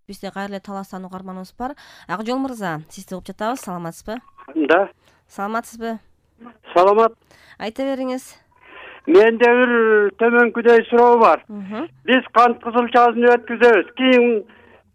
Бизде кайрылуу Таластан угарманыбыз бар. Акжол мырза, сизди угуп жатабыз. Саламатсызбы? Да. Саламатсызбы? Саламат. Айта бериңиз. Менде бир төмөнкүдөй суроо бар. Биз кант кызылчасын өткүзөбүз. Кийин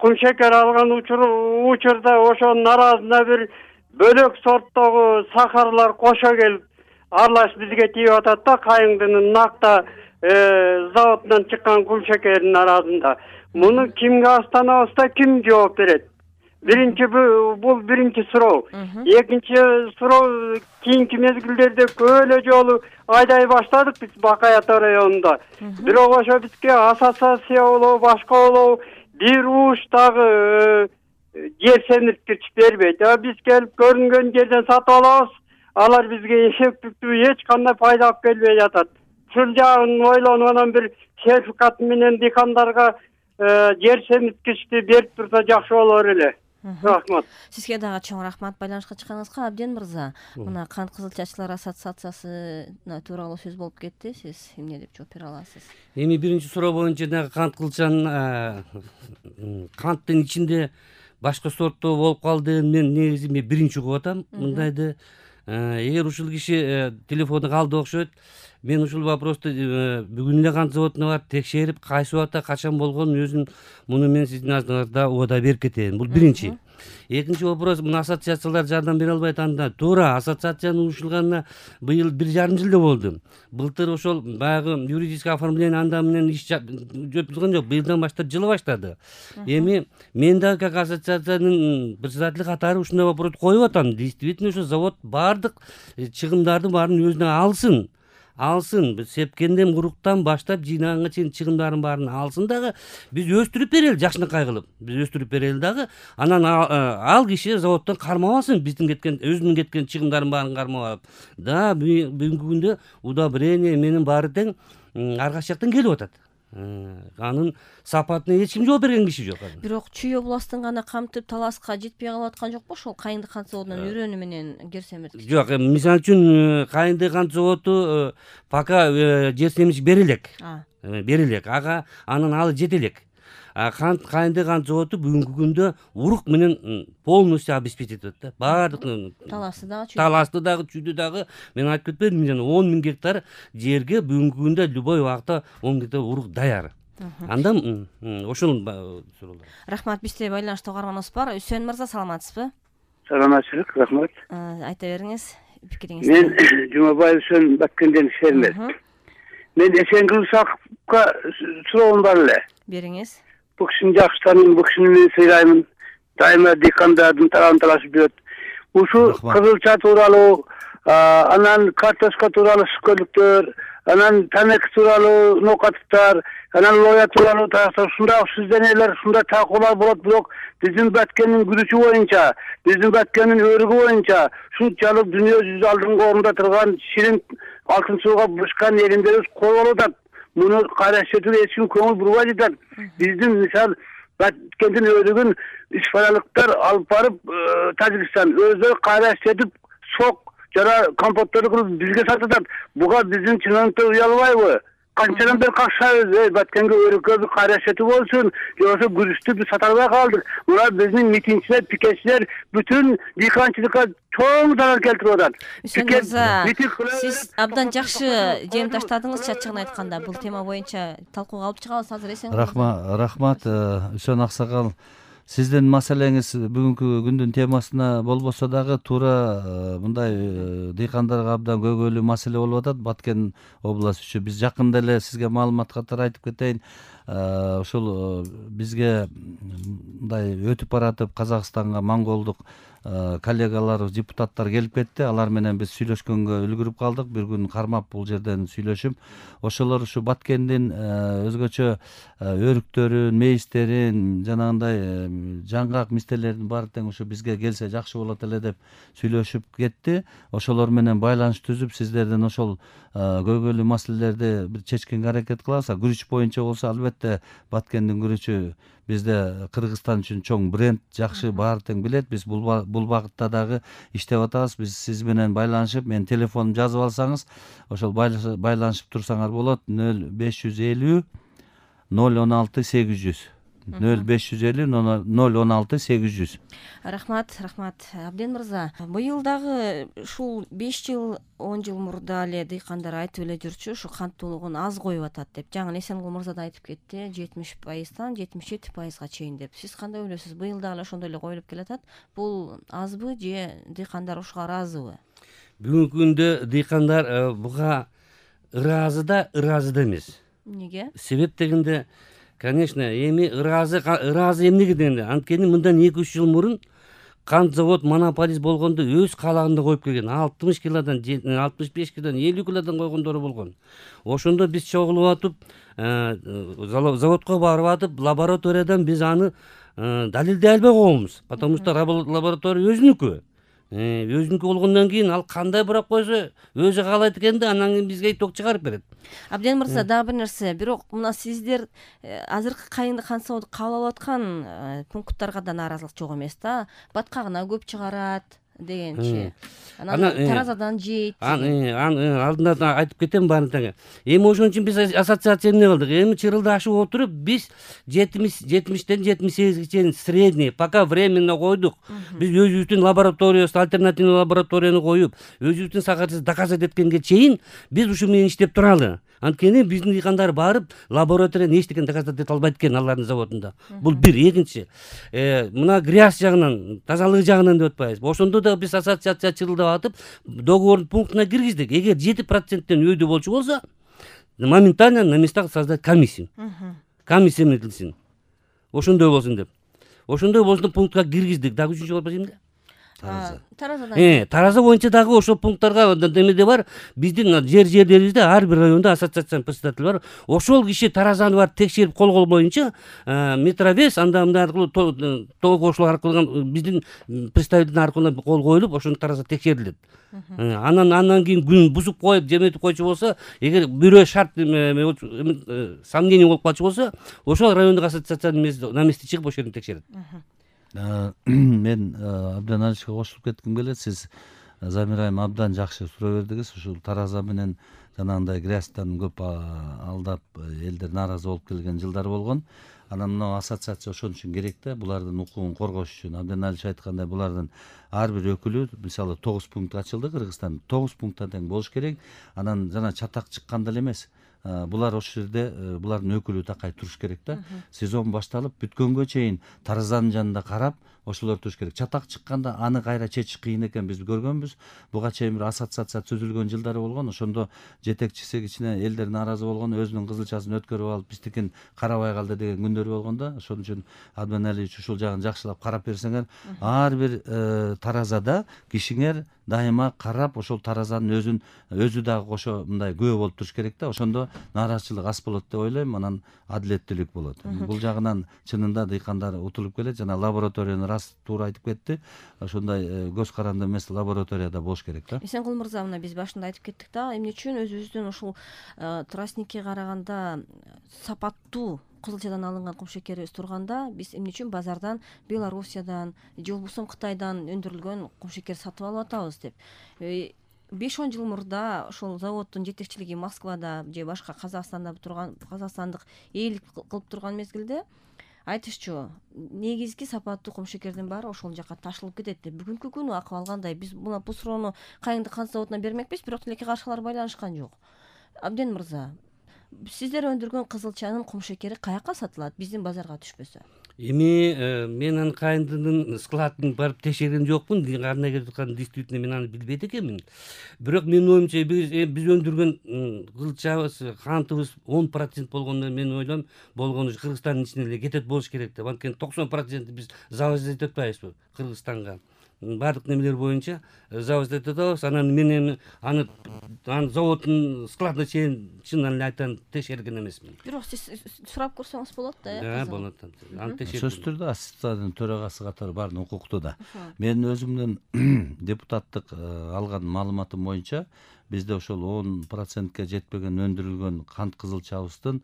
кум шекер алган учурда ошонун арасына бир бөлөк сорттогу сахарлар кошо келип аралаш бизге тийип атат да, Кайыңдын Накта заводунан чыккан кум шекердин арасында. Муну кимге астанабызда ким жооп берет? Бул биринчи суроо. Экинчи суроо, кийинки мезгилдерде көп жолу айдай баштадык биз Бакаята районунда. Бирок ошо бизге ассоциация болобу, башка болобу бир уш дагы жер семирткич бербейт. Биз келип көрүнгөн жерден сатып алабыз. Алар бизге эффективдүү эч кандай пайда алып келбей жатат. Ушул жагын ойлонуп анан бир сертификат менен дыйкандарга жер семирткичти берип турса жакшы болор эле. Рахмат. Сизге дагы чоң рахмат байланышка чыкканыңызга. Абден мырза, мына кант кызылчачылар ассоциациясы тууралуу сөз болуп кетти. Сиз эмне деп жооп бере аласыз? Эми биринчи суроо боюнча дагы кант кызылчанын канттын ичинде башка сорттоо болуп калды. Мен негизи биринчи угуп атам мындайды. Эгер ушул киши телефону калды окшойт, мен ушул вопросту бүгүн эле кант заводуна барып текшерип, кайсы убакта качан болгонун өзүм муну мен сиздин алдыңарда убада берип кетейин. Бул биринчи. Экинчи вопрос, мына ассоциациялар жардам бере албайт анда. Туура, ассоциациянын урушулганына быйыл 1,5 жылда болду. Былтыр ошол баягы юридический оформление анда менен иш жөпүлгөн жок. Быйылдан баштап жылы баштады. Эми мен дагы как ассоциациянын председатели катары ушундай вопрос коюп атам. Действительно ошо завод баардык чыгымдардын баарын өзүнө алсын, сепкенден куруктан баштап жыйнаганга чейин чыгымдардын баарын алсын дагы, биз өстүрүп берели, жакшынакай кылып. Биз өстүрүп берели дагы. Анан ал киши заводдон кармап алсын, биздин өзүнүн кеткен чыгымдардын баарын кармап алып. Да, бүгүнкү күндө удобрение менин баары тең ар кайсы жактан келип атат. Анын сапатына эч ким жооп берген киши жок. Бирок Чүй областын гана камтып Таласка жетпей калып аткан жокпу ошол Кайыңды кант заводунун үрөнү менен жер семирткич? Жок, мисалы үчүн Кайыңды кант заводу пока жер семирткич берилек. Ага анан алы жете элек. Кайыңды кант заводу бүгүнкү күндө урук менен полностью обеспечить этет да. Баардык Таласты дагы, Чүйдү дагы мен айтып кетпедимби, жана 10 000 гектар жерге бүгүнкү күндө любой убакта 10 000 гектар урук даяр. Андан ошол суроолор. Рахмат, бизде байланышта угарманыбыз бар. Үсөн мырза, саламатсызбы? Саламатчылык, рахмат. Айта бериңиз пикириңизди. Мен Жумабаев Үсөн Баккенден фермер. Мен Эсенгүл Сакыпка суроом бар эле. Бериңиз. Бу кишини жакшы тааныйм, бу кишини мен сыйлаймын. Дайыма дыйкандардын талабын талашып жүрөт. Ушу кызылча тууралуу, анан картошка тууралуу сүкөлүктөр, анан тамеки тууралуу ноокаттар, анан лоя тууралуу ушундай сүздөөнөлөр, ушундай талкуулар болот. Бирок биздин Баткендин күрүчү боюнча, биздин Баткендин өрүгү боюнча ушунчалык дүйнө жүзү алдыңкы орунда турган ширин алтын сууга бурушкан элиндерибиз кол болуп атат. Муну караштырууга эч ким көңүл бурбай жатат. Биздин мисал Баткендин өрүгүн ишпаралыктар алып барып Тажикстан өздөрү караштырып сок жана компотторду кылып бизге сатат. Буга биздин чиновниктер уялбайбы? Канчадан бери какшабыз, Баткенге өрүккө бир караштыруу болсун, жоксо күрүчтү биз сата албай калдык. Мына биздин митингчилер, пикетчилер бүтүн дыйканчылыкка чоң зарар келтирип атат. Сиз абдан жакшы жем таштадыңыз, чачыгын айтканда. Бул тема боюнча талкууга алып чыгабыз азыр. Эсен рахмат, Үсөн аксакал. Сиздин маселеңиз бүгүнкү күндүн темасына болбосо дагы туура мындай дыйкандарга абдан көйгөйлүү маселе болуп атат Баткен областы үчүн. Биз жакында эле сизге маалымат катары айтып кетейин. Ушул бизге мындай өтүп баратып Казакстанга монголдук коллегалар, депутаттар келип кетти. Алар менен биз сүйлөшкөнгө үлгүрүп калдык. Бир күн кармап бул жерден сүйлөшүп, ошолор ушу Баткендин өзгөчө өрүктөрүн, мейистерин, жанагындай жаңгак мистелердин баары тең ушу бизге келсе жакшы болот эле деп сүйлөшүп кетти. Ошолор менен байланыш түзүп, сиздерден ошол көйгөйлүү маселелерди бир чечкенге аракет кылабыз. Күрүч боюнча болсо албетте Баткендин күрүчү бизде Кыргызстан үчүн чоң бренд, жакшы баары тең билет. Биз бул багытта дагы иштеп атабыз. Биз сиз менен байланышып, менин телефонумду жазып алсаңыз, ошол байланышып турсаңар болот. 0550 016 800 0550 016 800. Рахмат Абден мырза. Быйыл дагы ушул 5 жыл 10 жыл мурда эле дыйкандар айтып эле жүрчү, ушу канттуулугун аз коюп атат деп. Жаңы Эсенгул мырза да айтып кетти, 70%-тан 77%га чейин деп. Сиз кандай ойлойсуз? Быйыл дагы эле ошондой эле коюлуп келатат. Бул азбы же дыйкандар ушуга ыраазыбы? Бүгүнкү күндө дыйкандар буга ыраазы да эмес. Неге? Себеп дегенде, конечно, эми ыраазы эмнеге дегенде, анткени мындан 2-3 жыл мурун кант завод монополист болгондо өз каалагында коюп келген. 60 килодан, 65 килодан, 50 килодан койгондору болгон. Ошондо биз чогулуп атып, заводко барып атып, лабораториядан биз аны далилдей албай койгонбуз. Потому что лаборатория өзүнүкү. Өзүнүкү болгондон кийин ал кандай бурап койсо өзү каалайт экен да, анан кийин бизге иток чыгарып берет. Абден мырза, дагы бир нерсе, бирок мына сиздер азыркы кайынды кант заводу кабыл алып аткан пункттарга да нааразылык жок эмес да. Баткагына көп чыгарат дегенчи. Анан таразадан жейт. Алдында айтып кетем баарын тең. Эми ошон үчүн биз ассоциация эмне кылдык? Эми чырылды ашып отуруп, биз 70-тен 78ге чейин средний, пока временно койдук. Биз өзүбүздүн лабораториябызды, альтернативный лабораторияны коюп, өзүбүздүн сакатыбызды доказать эткенге чейин биз ушу менен иштеп туралы. Анткени биздин дыйкандар барып лабораторияны эчтекен доказать эте албайт экен алардын заводунда. Бул бир. Экинчи, мына грязь жагынан, тазалык жагынан деп атпайбызбы? Ошондо да биз ассоциация чырылдап атып, договордун пунктуна киргиздик. Эгер 7%-тен өйдө болчу болсо, моментально на местах создать комиссию. Комиссия эмнетилсин. Ошондой болсун деп. Ошондой болсун пунктка киргиздик. Дагы үчүнчү вопрос эмне? Таразадан. Тараза боюнча дагы ошол пункттарга эмеде бар. Биздин жерлерибизде ар бир районда ассоциациянын председатели бар. Ошол киши таразаны барып текшерип колгол боюнча метровес анда мындай аркылуу тоо кошулар аркылуу биздин представитель аркылуу кол коюлуп, ошону тараза текшерилет. Анан кийин күн бузуп коюп, жеметип койчу болсо, эгер бирөө шарт сомнение болуп калчу болсо, ошол райондук ассоциациянын на месте чыгып ошол жерин текшерет. Мен абдан алышка кошулуп кетким келет. Сиз Замира айым абдан жакшы суроо бердиңиз. Ушул тараза менен жанагындай грязьтан көп алдап элдер нааразы болуп келген жылдар болгон. Анан мына ассоциация ошон үчүн керек да, булардын укугун коргош үчүн. Абдан алыш айткандай, булардын ар бир өкүлү, мисалы 9 пункт ачылды Кыргызстанда, 9 пункттан тең болуш керек. Анан жана чатак чыкканда эле эмес. Булар ошол жерде булардын өкүлү такай туруш керек да. Сезон башталып бүткөнгө чейин таразанын жанында карап, ошолор туруш керек. Чатак чыкканда аны кайра чечиш кыйын экен, биз көргөнбүз. Буга чейин бир ассоциация түзүлгөн жылдары болгон. Ошондо жетекчиси кичине элдер нааразы болгон, өзүнүн кызылчасын өткөрүп алып, биздикин карабай калды деген күндөр болгон да. Ошон үчүн Адман Алиевич ушул жагын жакшылап карап берсеңер, ар бир таразада кишиңер дайыма карап, ошол таразанын өзү дагы кошо мындай күбө болуп туруш керек да. Ошондо нааразычылык аз болот деп ойлойм, анан адилеттүүлүк болот. Бул жагынан чынында дыйкандар утулуп келет. Жана лабораторияны рас туура айтып кетти. Ошондой көз каранды эмес лабораторияда болуш керек да. Эсенгул мырза, мына биз башында айтып кеттик да, эмне үчүн өзүбүздүн ушул тростникке караганда сапаттуу кызылчадан алынган кумшекерибиз турганда, биз эмне үчүн базардан Белоруссиядан же болбосо Кытайдан өндүрүлгөн кумшекер сатып алып атабыз деп. 5-10 жыл мурда ошол заводдун жетекчилиги Москвада же башка казакстандык ээлик кылып турган мезгилде айтышчу, негизги сапаттуу кумшекердин баары ошол жака ташылып кетет деп. Бүгүнкү күнү акыбал кандай? Биз бул суроону кайынды кант заводуна бермекпиз, бирок тилекке каршылар байланышкан жок. Абден мырза, сиздер өндүргөн кызылчанын кумшекери каяка сатылат, биздин базарга түшпөсө? Эми мен анын кайындынын складын барып текшерген жокмун. Кандай келип атканын действительно мен аны билбейт экенмин. Бирок менин оюмча биз өндүргөн кызылчабыз, кантыбыз 10% болгондо мен ойлойм болгону Кыргызстандын ичинен эле кетет болуш керек деп. Анткени 90% биз завоз этип атпайбызбы Кыргызстанга. Бардык немелер боюнча завоз этип атабыз. Анан мен эми аны заводдун складына чейин чынын эле айтайын текшерген эмесмин. Бирок сиз сурап көрсөңүз болот да, болот. Аны текшердим. Сөзсүз түрдө ассоциациянын төрагасы катары баарын укуктуу да. Мен өзүмдүн депутаттык алган маалыматым боюнча бизде ошол 10%ке жетпеген өндүрүлгөн кант кызылчабыздын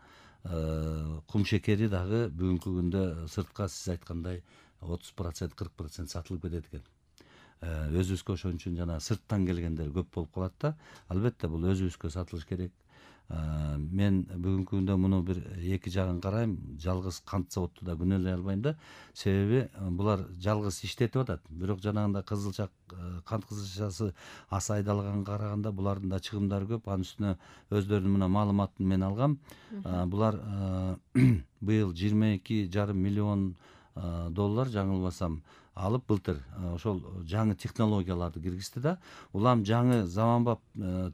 кумшекери дагы бүгүнкү күндө сыртка сиз айткандай 30%, 40% сатылып кетет экен. Өзүбүзгө ошон үчүн жана сырттан келгендер көп болуп калат да. Албетте бул өзүбүзгө сатылыш керек. Мен бүгүнкү күндө муну бир эки жагын карайм. Жалгыз кант заводду да күнөөлөй албайм да. Себеби булар жалгыз иштетип атат. Бирок жанагындай кызылча кант кызылчасы аса айдалганга караганда булардын да чыгымдары көп. Анын үстүнө өздөрүнүн мына маалыматын мен алгам. Булар быйыл 22,5 миллион доллар жаңылбасам алып былтыр ошол жаңы технологияларды киргизди да. Улам жаңы заманбап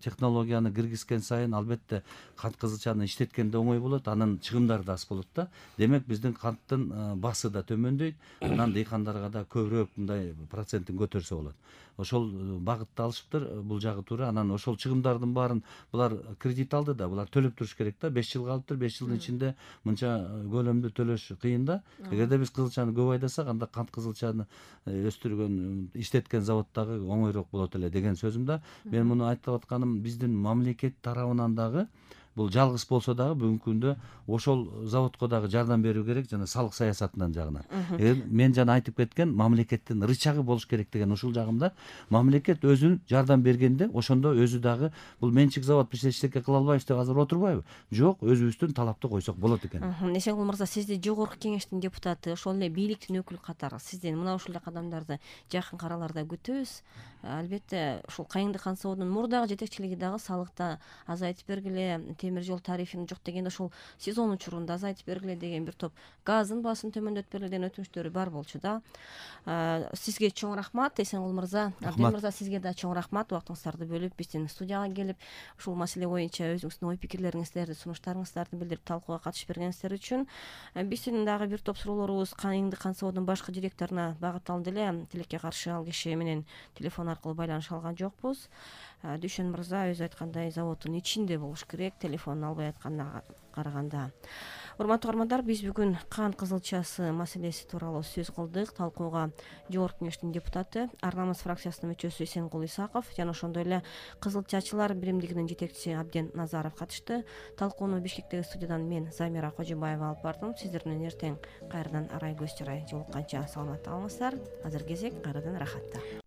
технологияны киргизген сайын албетте кант кызылчаны иштеткенде оңой болот, анын чыгымдары да аз болот да. Демек биздин канттын басы да төмөндөйт, анан дыйкандарга да көбүрөөк мындай процентин көтөрсө болот. Ошол багытты алышыптыр, бул жагы туура. Анан ошол чыгымдардын баарын булар кредит алды да, булар төлөп туруш керек да. 5 жыл калыптыр, 5 жылдын ичинде мынча көлөмдү төлөш кыйын да. Эгерде биз кызылчаны көп айдасак, анда кант кызылчаны өстүргөн, иштеткен заводдагы оңойрок болот эле деген сөзүм да. Мен муну айтып атканым, биздин мамлекет тарабынан дагы бул жалгыз болсо дагы бүгүнкү күндө ошол заводко дагы жардам берүү керек, жана салык саясатынан жагынан. Мен жана айтып кеткен мамлекеттин рычагы болуш керек деген ушул жагымда. Мамлекет өзүн жардам бергенде ошондо өзү дагы бул менчик завод биз эчтеке кыла албайбыз деп азыр отурбайбы? Жок, өзүбүздүн талапты койсок болот экен. Эсенгул мырза, сизди жогорку кеңештин депутаты, ошол эле бийликтин өкүлү катары сизден мына ушул кадамдарды жакын араларда күтөбүз. Албетте ушул Кайыңды кант заводунун мурдагы жетекчилиги дагы салыкты азайтып бергиле, темир жол тарифин жок дегенде ошол сезон учурунда азайтып бергиле деген бир топ, газдын баасын төмөндөтүп бергиле деген өтүнүчтөрү бар болчу да. Сизге чоң рахмат, Эсенгул мырза. Абдел мырза, сизге да чоң рахмат, убактыңыздарды бөлүп биздин студияга келип ушул маселе боюнча өзүңүздүн ой пикирлериңиздерди, сунуштарыңыздарды билдирип талкууга катышып бергениңиздер үчүн. Биздин дагы бир топ суроолорубуз Кайыңды кант заводунун башкы директоруна багытталды эле. Тилекке каршы ал киши менен телефон аркылуу байланыша алган жокпуз. Дүйшөн мырза өзү айткандай заводдун ичинде болуш керек, телефонун албай атканына караганда. Урматтуу угармандар, биз бүгүн кант кызылчасы маселеси тууралуу сөз кылдык. Талкууга жогорку кеңештин депутаты, Ар намыс фракциясынын мүчөсү Эсенгул Исаков жана ошондой эле Кызылчачылар биримдигинин жетекчиси Абден Назаров катышты. Талкууну Бишкектеги студиядан мен Замира Кожубаева алып бардым. Сиздер менен эртең кайрадан арай көз чарай жолукканча саламатта калыңыздар. Азыр кезек кайрадан рахатта.